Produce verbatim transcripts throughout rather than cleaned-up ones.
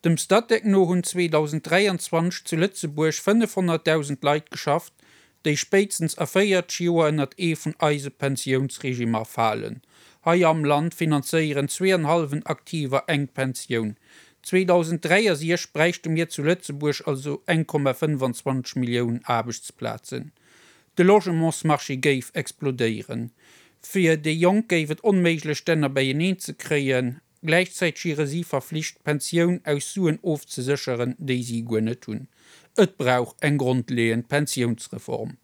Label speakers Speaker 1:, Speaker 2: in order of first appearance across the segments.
Speaker 1: Dem Statec no hunn zweedausenddräianzwanzeg zu Lëtzebuerg fënnefhonnertdausend Leit geschafft, déi spéitstens a véierzeg Joer ënnert ee vun eise Pensiounsregimmer falen. Hei am Land finanzéieren zwee an hallwen Aktiver eng Pensioun. zweedausenddräiasiechzeg bräichte mir zu Lëtzebuerg also eng Komma fënnefanzwanzeg Millioun Aarbechtsplazen. De Logementsmarché géif explodéieren. Fir déi Jonk géif et onméiglech d'Enner beieneen ze kréien. Gläichzäiteg wiere si verflicht, d'Pensioun aus Suen ofzesécheren, déi si guer net hunn. Et brauch eng grondleeënd Pensiounsreform.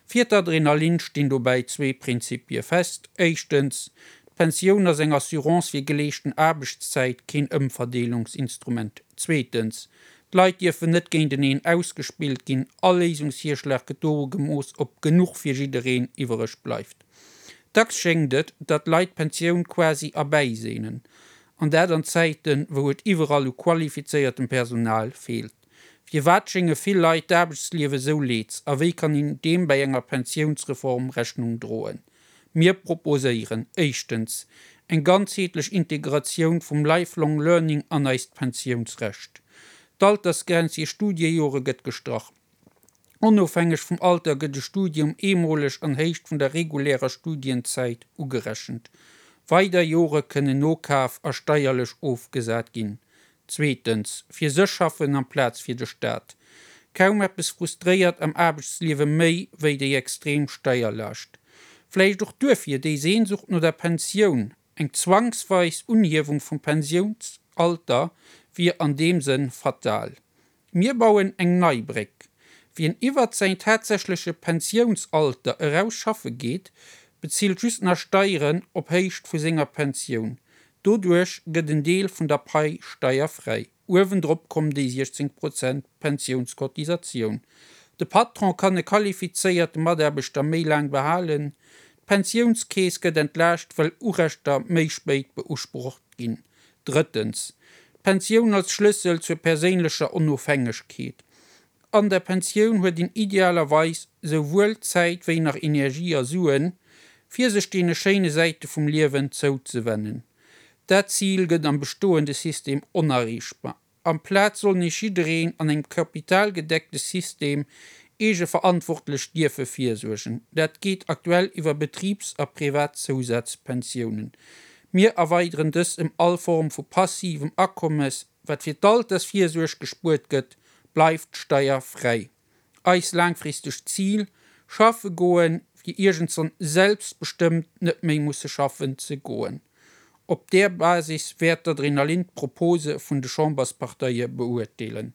Speaker 1: Fir d'Adrenalin stinn dobäi zwee Prinzipie fest, Éischtens, d'Pensioun ass eng Assurance fir geleeschten Aarbechtszäit, keen Ëmverdeelungsinstrument. Zweetens, d'Leit dierfen net géinteneen ausgespillt ginn. All Léisungsvirschlag gëtt doru gemooss, ob genuch fir jiddereen iwwereg bleift. Dacks schéngt et, datt d'Leit d'Pensioun quasi erbäiseenen. An dat an Zäiten, wou et iwwerall u qualifizéiertem Personal feelt. Firwat schénge vill Leit d'Aarbechtsliewe sou leed? A wéi kann een deem bei enger Pensiounsreform Rechnung droen? Mir proposéieren, éischtens, eng ganzheetlech Integratioun vum Lifelong Learning an eist Pensiounsrecht. D'Altersgrenz fir Studiejore gëtt gestrach. Onofhängeg vum Alter gëtt e Studium eemoleg an Héicht vun der regulärer Studienzäit ugerechent. Weider Jore kënnen nokaf a steierlech ofgesat ginn. Zweetens, fir sech schaffen amplaz fir de Staat. Kaum eppes frustréiert am Aarbechtsliewe méi wéi déi extrem Steierlaascht. Vläicht och duerfir déi Sehnsucht no der Pensioun. Eng zwangsweis Unhiewung vum Pensiounsalter wier an deem Sënn fatal. Mir bauen eng nei Bréck. Wien iwwert säin tatsächleche Pensiounsalter eraus schaffe geet, bezilt just nach Steieren op Héicht vu senger Pensioun. Doduerch gëtt en Deel vun der Pai steierfräi. Uewendrop kommen déi siechzéng Prozent Pensiounscotisatioun. De Patron kann e qualifizéierte Mataarbechter méi laang behalen. D'Pensiounskeess gëtt entlaascht, well Urechter méi spéit beusprocht ginn. Drëttens, d'Pensioun als Schlëssel zur perséinlecher Onofhängegkeet. An der Pensioun huet een idealerweis souwuel Zäit wéi nach Energie a Suen, fir sech deene schéine Säite vum Liewen zouzewennen. Dat Zil gëtt am bestoende System onerreechbar. Amplaz soll nees jiddereen an engem kapitalgedeckte System eegeverantwortlech dierfe virsuergen. Dat geet aktuell iwwer Betribs a privat Zousazpensiounen. Mir erweideren dës ëm all Form vu passivem Akommes. Wat fir d'Altersvirsuerg gespuert gëtt, bleift steierfräi. Eist laangfristegt Zil, Schaffe goen, fir iergendswann selbstbestëmmt net méi musse schaffen ze goen. Op där Basis wäert d'Adrenalin d'Propose vun de Chambersparteie beurteelen.